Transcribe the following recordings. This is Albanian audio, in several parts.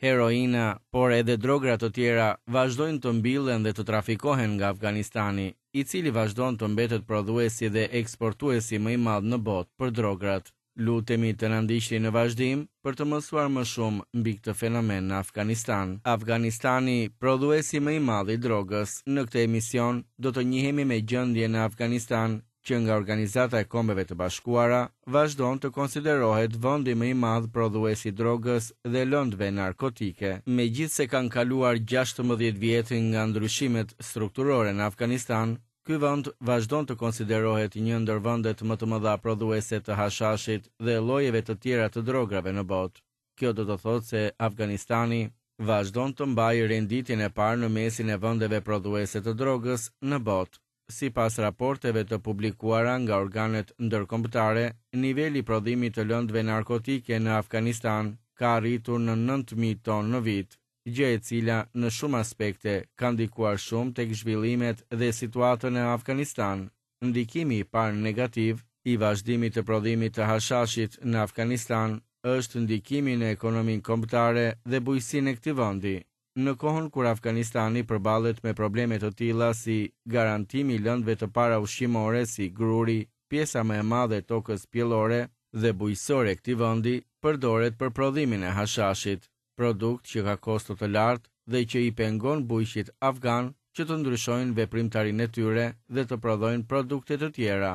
Heroina, por edhe drogra të tjera vazhdojnë të mbillen dhe të trafikohen nga Afganistani, i cili vazhdon të mbetet prodhuesi dhe eksportuesi më i madh në botë për drograt. Lutemi të na ndiqni në vazhdim për të mësuar më shumë mbi këtë fenomen në Afganistan. Afganistani, prodhuesi më i madh i drogës. Në këtë emision do të njihemi me gjendjen në Afganistan, që nga Organizata e Kombeve të Bashkuara vazhdon të konsiderohet vendi më i madh prodhues i drogës dhe lëndëve narkotike. Megjithëse kanë kaluar 16 vjet nga ndryshimet strukturore në Afganistan, ky vend vazhdon të konsiderohet një ndër vendet më të mëdha prodhuese të hashashit dhe llojeve të tjera të drograve në botë. Kjo do të thotë se Afganistani vazhdon të mbajë renditjen e parë në mesin e vendeve prodhuese të drogës në botë. Sipas raporteve të publikuara nga organet ndërkombëtare, niveli i prodhimit të lëndëve narkotike në Afganistan ka arritur në 9.000 tonë në vit, gjë e cila në shumë aspekte ka ndikuar shumë tek zhvillimet dhe situatën në Afganistan. Ndikimi i parë negativ i vazhdimit të prodhimit të hashashit në Afganistan është ndikimi në ekonominë kombëtare dhe bujqësinë e këtij vendi. Në kohën kur Afganistani përballet me probleme të tilla si garantimi i lëndëve të para ushqimore si gruri, pjesa më e madhe e tokës pjellore dhe bujqësore e këtij vendi përdoret për prodhimin e hashashit, produkt që ka kosto të lartë dhe që i pengon bujqit afganë që të ndryshojnë veprimtarinë e tyre dhe të prodhojnë produkte të tjera.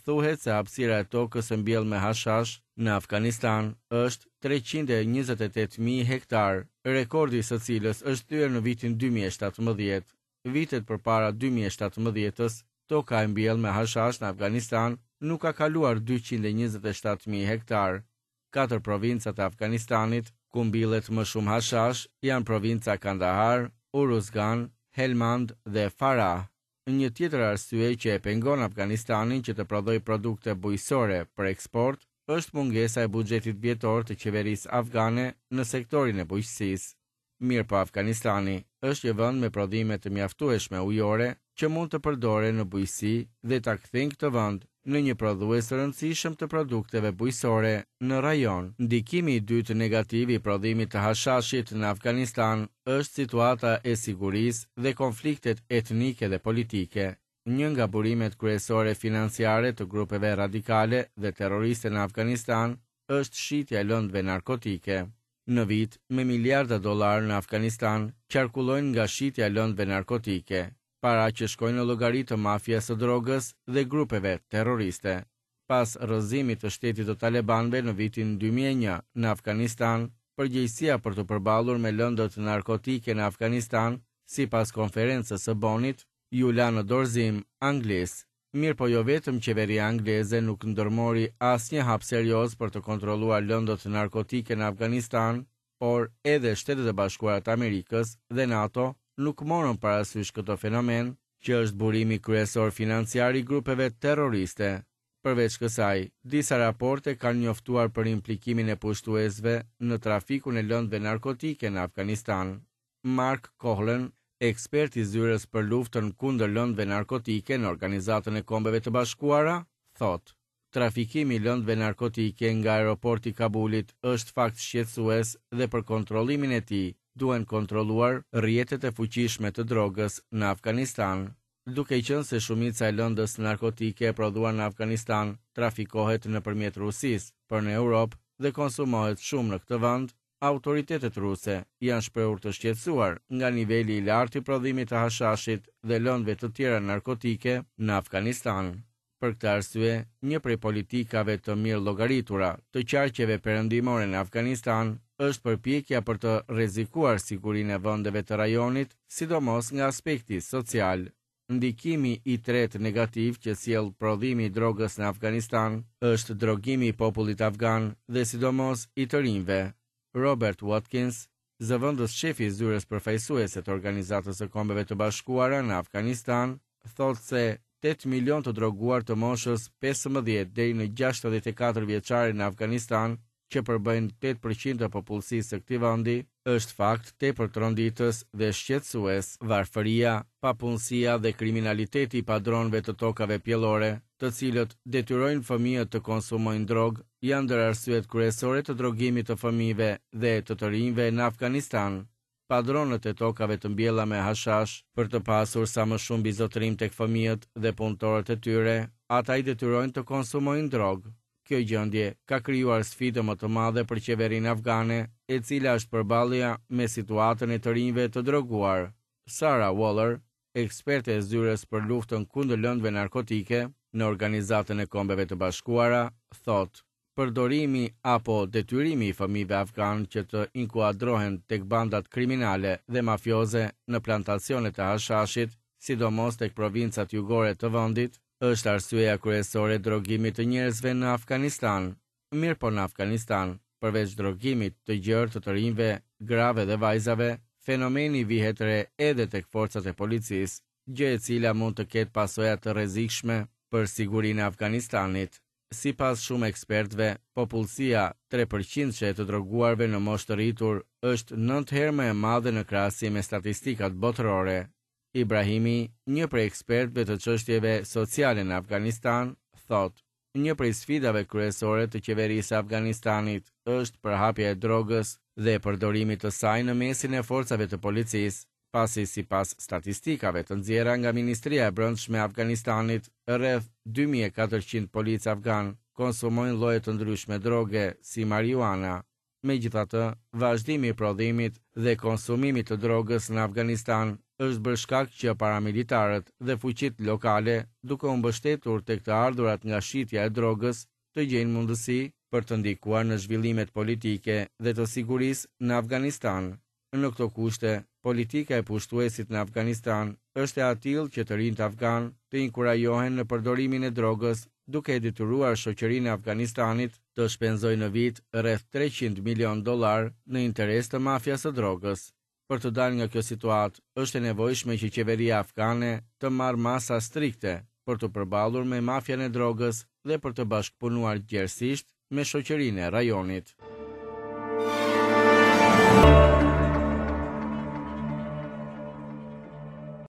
Thuhet se hapësira e tokës e mbjellë me hashash në Afganistan është 328.000 hektar, rekordi i së cilës është thyer në vitin 2017. Vitet përpara 2017-s, toka e mbjellë me hashash në Afganistan nuk ka kaluar 227.000 hektar. Katër provincat e Afganistanit, ku mbillet më shumë hashash, janë provinca Kandahar, Uruzgan, Helmand dhe Farah. Një tjetër arsye që e pengon Afganistanin që të prodhojë produkte bujqësore për eksport është mungesa e buxhetit vjetor të qeverisë afgane në sektorin e bujqësisë. Mirëpo Afganistani është një vend me prodhime të mjaftueshme ujore që mund të përdoren në bujqësi dhe ta kthejnë këtë vend në një prodhues të rëndësishëm të produkteve bujqësore në rajon. Ndikimi i dytë negativ i prodhimit të hashashit në Afganistan është situata e sigurisë dhe konfliktet etnike dhe politike. Një nga burimet kryesore financiare të grupeve radikale dhe terroriste në Afganistan është shitja e lëndëve narkotike. Në vit, me miliarda dollarë në Afganistan qarkullojnë nga shitja e lëndëve narkotike, para që shkojnë në llogari të mafias së drogës dhe grupeve terroriste. Pas rrëzimit të shtetit të talebanëve në vitin 2001 në Afganistan, përgjegjësia për t'u përballur me lëndët narkotike në Afganistan, sipas konferencës së Bonit, iu la në dorëzim Anglisë. Mirëpo jo vetëm qeveria angleze nuk ndërmori asnjë hap serioz për të kontrolluar lëndët narkotike në Afganistan, por edhe Shtetet e Bashkuara të Amerikës dhe NATO nuk morën parasysh këtë fenomen, që është burimi kryesor financiar i grupeve terroriste. Përveç kësaj, disa raporte kanë njoftuar për implikimin e pushtuesve në trafikun e lëndëve narkotike në Afganistan. Mark Kohlen, ekspert i zyrës për luftën kundër lëndëve narkotike në Organizatën e Kombeve të Bashkuara, thotë: Trafikimi i lëndëve narkotike nga aeroporti i Kabulit është fakt shqetësues dhe për kontrollimin e tij duhen kontrolluar rrjetet e fuqishme të drogës në Afganistan. Duke qenë se shumica e lëndës narkotike e prodhuar në Afganistan trafikohet nëpërmjet Rusisë për në Europë dhe konsumohet shumë në këtë vend, autoritetet ruse janë shprehur të shqetësuar nga niveli i lartë i prodhimit të hashashit dhe lëndëve të tjera narkotike në Afganistan. Për këtë arsye, një prej politikave të mirë llogaritura të qarqeve perëndimore në Afganistan është përpjekja për të rrezikuar sigurinë e vendeve të rajonit, sidomos nga aspekti social. Ndikimi i tretë negativ që sjell prodhimi i drogës në Afganistan është drogimi i popullit afgan dhe sidomos i të rinjve. Robert Watkins, zëvendës shefi i zyrës përfaqësuese të Organizatës së Kombeve të Bashkuara në Afganistan, thotë se 8 milion të droguar të moshës 15 deri në 64 vjeçare në Afganistan që përbëjnë 8% të popullsisë së këtij vendi, është fakt tepër tronditës dhe shqetësues. Varfëria, papunësia dhe kriminaliteti i padronëve të tokave pjellore, të cilët detyrojnë fëmijët të konsumojnë drogë, janë ndër arsyet kryesore të drogimit të fëmijëve dhe të të rinjve në Afganistan. Padronët e tokave të mbjella me hashash, për të pasur sa më shumë mbizotërim tek fëmijët dhe punëtorët e tyre, ata i detyrojnë të konsumojnë drogë. Kjo gjendje ka krijuar sfidë më të madhe për qeverinë afgane, e cila është përballja me situatën e të rinjve të droguar. Sarah Waller, eksperte e Zyrës për Luftën kundër Lëndëve Narkotike në Organizatën e Kombeve të Bashkuara, thotë, Përdorimi apo detyrimi i fëmijëve afganë që të inkuadrohen tek bandat kriminale dhe mafioze në plantacionet e hashashit, sidomos tek provincat jugore të vendit, është arsyeja kryesore e drogimit të njerëzve në Afganistan. Mirëpo në Afganistan, përveç drogimit të gjerë të të rinjve, grave dhe vajzave, fenomeni vihet re edhe tek forcat e policisë, gjë e cila mund të ketë pasoja të rrezikshme për sigurinë e Afganistanit. Sipas shumë ekspertëve, popullsia tre përqindëshe e të droguarve në moshë të rritur është nëntë herë më e madhe në krahasim me statistikat botërore. Ibrahimi, një prej ekspertëve të çështjeve sociale në Afganistan, thotë, Një prej sfidave kryesore të qeverisë së Afganistanit është përhapja e drogës dhe përdorimit të saj në mesin e forcave të policisë, pasi sipas statistikave të nxjerra nga Ministria e Brendshme e Afganistanit, rreth 2400 policë afganë konsumojnë lloje të ndryshme droge, si marijuana. Megjithatë, vazhdimi i prodhimit dhe konsumimit të drogës në Afganistan është bërë shkak që paramilitarët dhe fuqitë lokale, duke u mbështetur tek të ardhurat nga shitja e drogës, të gjejnë mundësi për të ndikuar në zhvillimet politike dhe të sigurisë në Afganistan. Në këto kushte, politika e pushtuesit në Afganistan është e atillë që të rinjtë afganë të inkurajohen në përdorimin e drogës, duke e detyruar shoqërinë e Afganistanit të shpenzojë në vit rreth 300 milionë dollarë në interes të mafias së drogës. Për të dalë nga kjo situatë, është e nevojshme që qeveria afgane të marrë masa strikte për t'u përballur me mafian e drogës dhe për të bashkëpunuar gjerësisht me shoqërinë e rajonit.